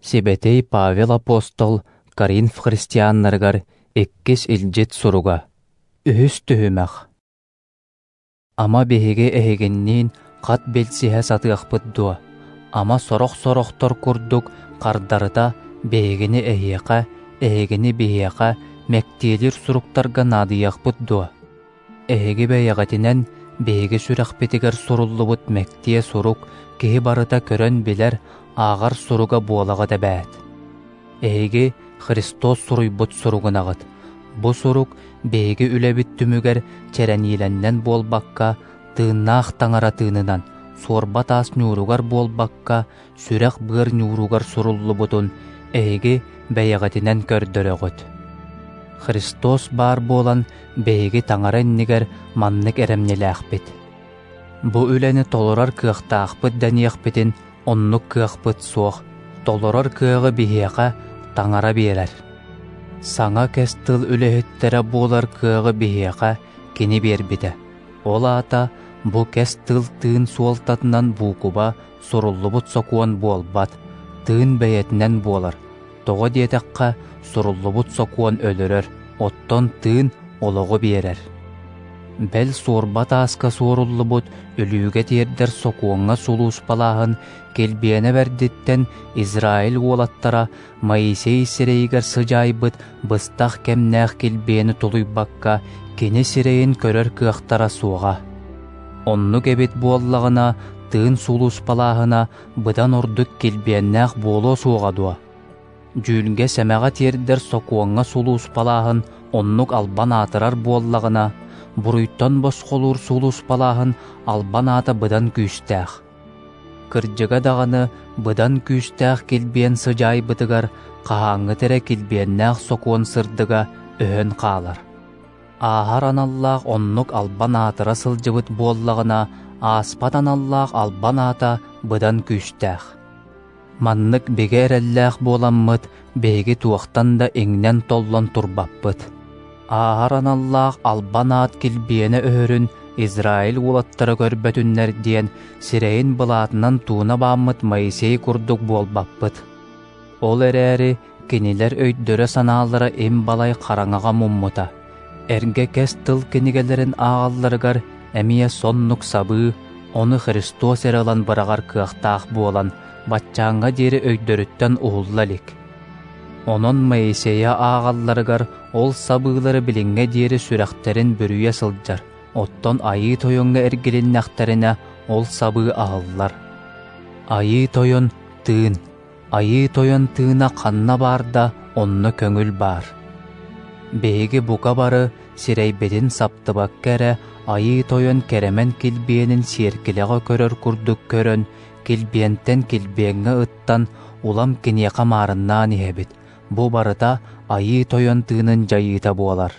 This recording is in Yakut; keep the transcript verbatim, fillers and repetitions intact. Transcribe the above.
Сибэтэй Павел апостол Коринф христианнарыгар иккис илдьит суруга. Үһүс түһүмэх. Ама биһиги эһигинниин хат билсиһэ сатыахпыт дуо? Ама сорох-сорохтор курдук хардарыта биһигини эһиэхэ, эһигини биһиэхэ мэктиэлиир суруктарга наадыйыахпыт дуо? Эһиги бэйэҕитинэн биһиги сүрэхпитигэр суруллубут мэктиэ сурук киһи барыта көрөн билэр, ааҕар суруга буолаҕыт эбээт. Эһиги Христос суруйбут суругунаҕыт. Бу сурук биһиги үлэбит түмүгэр чэрэниилэннэн буолбакка, тыыннаах таҥара тыынынан, суорба таас ньууругар буолбакка, сүрэх-быар ньууругар суруллубутун эһиги бэйэҕитинэн көрдөрөҕүт. Христос баар буолан биһиги таҥара иннигэр маннык эрэмньилээхпит. Бу үлэни толорор кыахтаахпыт дэниэхпитин оннук кыахпыт суох, толорор кыаҕы биһиэхэ таҥара биэрэр. Саҥа кэс тыл үлэһиттэрэ буолар кыаҕы биһиэхэ кини биэрбитэ. Ол аата бу кэс тыл тыын суолтатынан буукуба суруллубут сокуон буолбат, тыын бэйэтинэн буолар. Тоҕо диэтэххэ, суруллубут сокуон өлөрөр, оттон тыын олоҕу биэрэр. Бэл суорба тааска суоруллубут өлүүгэ тиэрдэр сокуоҥҥа сулууспалааһын килбиэнэ бэрдиттэн Израиль уолаттара Моисей сирэйигэр сыдьаайбыт быстах кэмнээх килбиэни тулуйбакка кини сирэйин көрөр кыахтара суоҕа. Оннук эбит буоллаҕына, тыын сулууспалааһына быдан ордук килбиэннээх буолуо суоҕа дуо? Дьүүлгэ сэмэҕэ тиэрдэр сокуоҥҥа сулууспалааһын оннук албан аатырар буоллаҕына, буруйтан босхолуур сулууспалааһын албан аата быдан күүстээх. Кырдьыга даҕаны быдан күүстээх килбиэн сыдьаайбытыгар хаһааҥҥыта эрэ килбиэннээх сокуон сырдыга өһөн хаалар. Ааһар аналлаах оннук албан аатыра сылдьыбыт буоллаҕына, ааспат аналлаах албан аата быдан күүстээх. Маннык бигэ эрэллээх буоламмыт, биһиги туохтан да иҥнэн-толлон турбаппыт. Ааһар аналлаах албан аат килбиэнэ өһөрүн Израиль уолаттара көрбөтүннэр диэн сирэйин былаатынан тууна бааммыт Моисей курдук буолбаппыт. Ол эрээри кинилэр өйдөрө-санаалара им балай хараҥаҕа муммута. Эргэ кэс тыл кинигэлэрин ааҕалларыгар эмиэ соннук сабыы, ону Христос эрэ ылан быраҕар кыахтаах буолан, баччааҥҥа диэри өйдөрүттэн уһулла илик. Онон Моисейа ааҕалларыгар ол сабыылары билиҥҥэ диэри сүрэхтэрин бүрүйэ сылдьар, оттон Айыы Тойоҥҥо эргилиннэхтэринэ ол сабыы аһыллар. Айыы Тойон тыын, Айыы Тойон тыына ханна баар да, онно көҥүл баар. Биһиги бука бары сирэйбитин саптыбакка эрэ Айыы Тойон кэрэмэн килбиэнин сиэркилэҕэ көрөр курдук көрөн, килбиэнтэн килбиэҥҥэ ыттан, улам киниэхэ маарыннаан иһэбит. Бу барыта Айыы Тойон тыынын дьайыыта буолар.